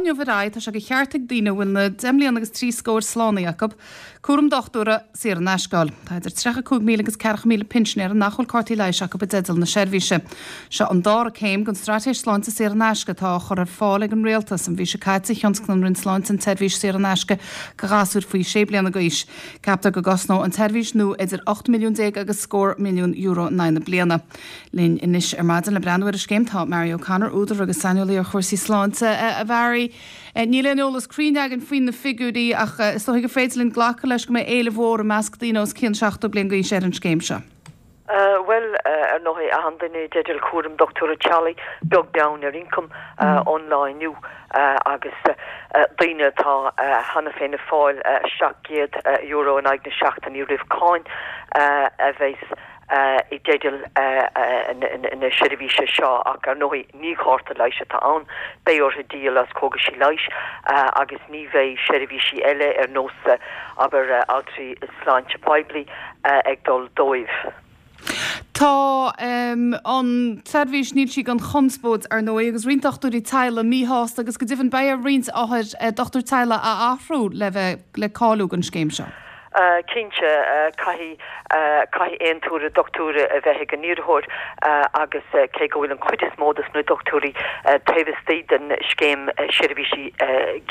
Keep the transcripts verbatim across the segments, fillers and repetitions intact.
inniu ar aghaidh tá sé de cheart ag daoine a bhfuil na deich mbliana agus trí scór slánaithe acu cúram dochtúra saor in aisce a fháil. Tá idir tríocha cúig míle agus ceathracha míle pinsinéir nach bhfuil cártaí leighis acu i dteideal na seirbhíse. Seo an dara céim den straitéis sláinte saor in aisce atá á chur ar fáil ag an rialtas. An mhí seo caite thionscain an Roinn Sláinte an tseirbhís saor in aisce do ghasúir faoi sé bliana d'aois. Ceaptar go gcosnóidh an tseirbhís nua idir ocht milliún déag agus scór milliún euro in aghaidh na bliana. Linn anois ar maidin le breathnú ar an scéim tá Mary O'Connor, údar agus saineolaí ar chúrsaí sláinte a Mhary. Níl aon eolas cruinn againn faoi na figiúirí ach is dóigh gur féidir linn glacadh leis go mbeidh éileamh mhór i measc daoine os cionn seachtó bliain d'aois ar an scéim seo. Bhuel ar ndóigh achan duine i dteideal cúram dochtúra teaghlaigh beag beann ar ioncam ón lá inniu agus daoine atá cheana féin ag fáil seacht gcéad euro in aghaidh na seachtaine roimh cáin a bheas i dteideal na seirbhíse seo ach ar ndóigh ní cárta leighis atá ann, beidh orthu díol as cógaisí leighis agus ní bheidh seirbhísí eile ar nós abair altraí sláinte poiblí ag dul dóibh. Tá um, an tseirbhís níl sí gan chonspóid ar ndóigh agus roinnt dochtúirí teaghlaigh míshásta agus go deimhin beidh ar roinnt othair eh, dochtúir teaghlaigh a athrú le bheith le cáiliú don scéim seo. Cinnte caithfidh caithfidh aontú dochtúra a bheith ag an iarrthóir agus cé go bhfuil an chuid is mó de na dochtúirí taobh istigh den scéim seirbhísí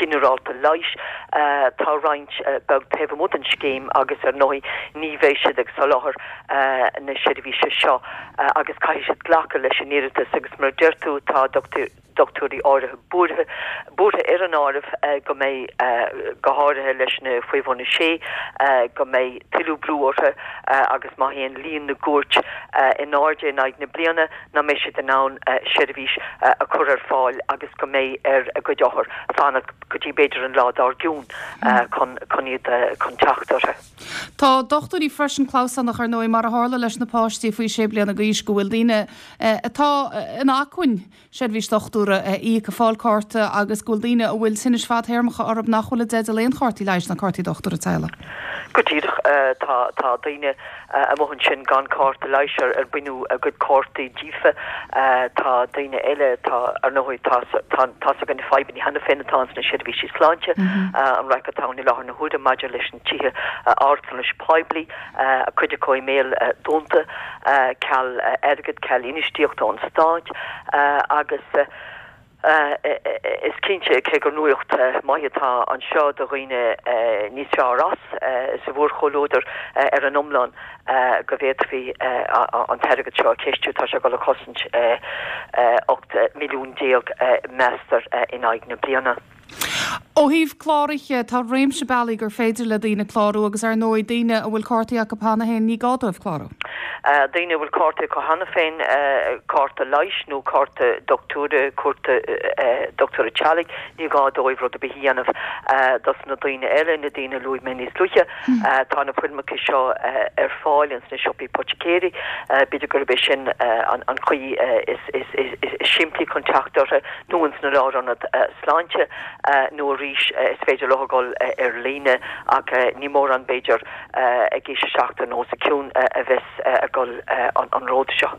ginearálta leighis tá roinnt beag taobh amuigh den scéim agus ar ndóigh ní bheidh siad ag soláthar na seirbhíse seo agus caithfidh siad glacadh leis an iarratas agus mar deir tú tá dochtúir dochtúirí áirithe buartha buartha ar an áireamh go mbeidh go háirithe leis na faoi bhun a sé go mbeidh tuilleadh brú orthu agus má théann líon na gcuairt in airde in aghaidh na bliana nach mbeidh siad in ann seirbhís a chur ar fáil agus go mbeidh ar a gcuid othar fanacht go dtí b'fhéidir an lá dár gcionn chun chun iad chun teacht orthu. Tá dochtúirí freisin clamhsánach ar ndóigh mar a tharla leis na páistí faoi sé bliana d'aois go bhfuil daoine atá in acmhainn seirbhís dochtúra a íoc ag fáil cárta agus go bhfuil daoine a bhfuil tinnis fadtéarmacha orthu nach bhfuil i dteideal aon chártaí leighis ná cártaí dochtúra teaghlaigh. Go díreach tá tá daoine amuigh ansin gan cárta leighis ar ar baineadh a gcuid cártaí díofa tá daoine eile tá ar ndóigh tá tá againn na fadhbanna cheana féin atá sna seirbhísí sláinte an raic atá i láthair na huaire maidir leis na tithe altranais poiblí a cuid acu i mbéal dúnta ceal airgid ceal infheistíochta ón stát agus is cinnte cé gur nuacht mhaith atá anseo do dhaoine níos fearr as sa mhórchomhluadar ar an iomlán go bhféadfaí an t-airgead seo a chistiú tá sé ag dul a chosaint ocht milliún déag meastar in aghaidh na bliana. Ó thaobh cláraithe tá réimse bealaí gur féidir le daoine clárú agus ar ndóigh daoine a bhfuil cártaí acu cheana féin ní gá dóibh clárú. Daoine a bhfuil cártaí acu cheana féin cárta leighis nó cárta dochtúra cárta dochtúra teaghlaigh ní gá dóibh rud ar bith a dhéanamh dos na daoine eile na daoine luaigh mé níos luaithe tá na foirmeacha seo ar fáil ins na siopaí poiticéirí b'fhéidir gurb é sin an chaoi is simplí chun teacht orthu nó ins na lárionaid sláinte nó arís is féidir leo dul ar líne ach ní mórán b'fhéidir ag aois a seachtó nó os a cionn a bheas ag dul an ród seo.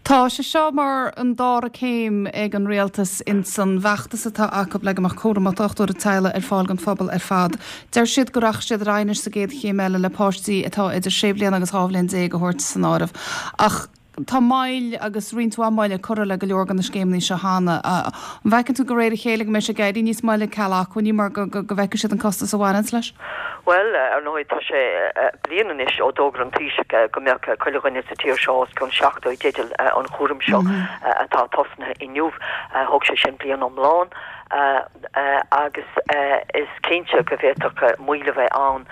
Tá sé seo mar an dara céim ag an rialtas in san bhfeachtas atá acu le go mbeadh cúram dochtúra teaghlaigh ar fáil don phobal ar fad. Deir siad go rachaidh siad ar aghaidh sa gcéad chéim eile le páistí atá idir sé bliana agus dhá bhliain déag a thabhairt san áireamh. Ach tá moill agus roinnt mhaith moille curtha le go leor de na scéimeanna seo cheana. An bhfeiceann tú de réir a chéile go mbeidh sé ag éirí níos moille ceal acmhainní mar go go bhfeicfidh siad an costas a bhaineanns leis? Bhuel, ar ndóigh tá sé bliain anois ó d'fhógair an Taoiseach go mbeadh chuile dhuine sa tír seo os cionn seachtó i dteideal an chúraim seo atá tosnaithe inniu. Thóg sé sin bliain iomlán agus is cinnte go bhféadfadh moill a bheith ann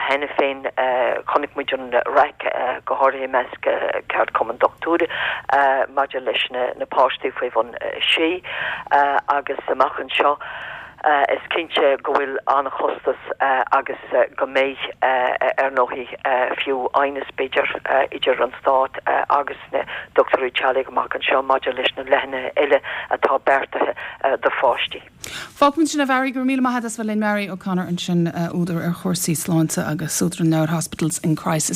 cheana féin. Chonaic muid an raic go háirithe i measc ceardchumann dochtúirí maidir leis na páistí faoi bhun sé agus amach anseo is cinnte go bhfuil an-chostas agus go mbeidh ar ndóigh fiú aighneas b'fhéidir idir an stát agus na dochtúirí teaghlaigh amach anseo maidir leis na leathnuithe eile atá beartaithe do pháistí. Fágfaimid sin a Mhary go raibh míle maith agat as bheith linn Mary O'Connor ansin údar ar chúrsaí sláinte agus údar an leabhair Hospitals in Crisis.